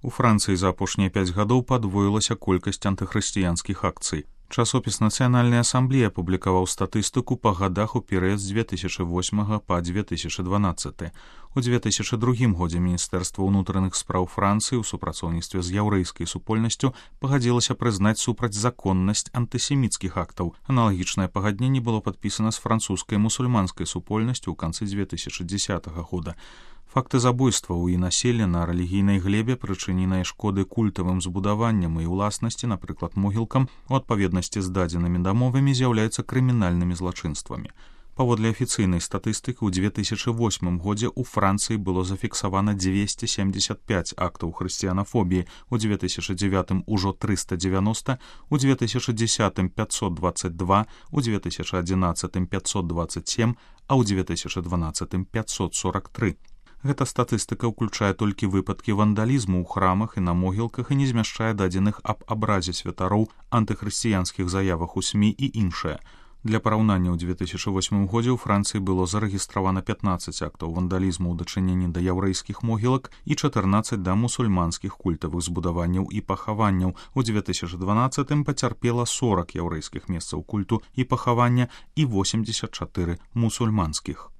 У Францыі за апошнія 5 гадоў падвоілася колькасць антыхрысціянскіх акцый. Часопіс Нацыянальнай асамблеі апублікаваў статыстыку па гадах у перыяд з 2008 па 2012. У 2002 годзе Міністэрства ўнутраных спраў Францыі ў супрацоўніцтве з яўрэйскай супольнасцю пагадзілася прызнаць супрацьзаконнасць антысеміцкіх актаў. Аналагічнае пагадненне было падпісана з французскай мусульманскай супольнасцю ў канцы 2010 года. Факты забойстваў і насілля на рэлігійнай глебе, прычыненыя шкоды культавым збудаванням і ўласнасці, напрыклад, могілкам, у адпаведнасці з дадзенымі дамовамі з'яўляюцца крымінальнымі злачынствамі. Паводле афіцыйнай статыстыкі, у 2008 годзе ў Францыі было зафіксавана 275 актаў хрысціянафобіі, у 2009 ужо 390, у 2010 522, у 2011 527, а ў 2012 543. Гэта статыстыка ўключае толькі выпадкі вандалізму ў храмах і на могілках і не змяшчае дадзеных аб абразе святароў, антыхрысціянскіх заявах у СМІ і іншае. Для параўнання, у 2008 годзе ў Францыі было зарэгістравана 15 актаў вандалізму ў дачыненні да яўрэйскіх могілак і 14 да мусульманскіх культавых збудаванняў і пахаванняў. У 2012 пацярпела 40 яўрэйскіх месцаў культу і пахавання і 84 мусульманскіх.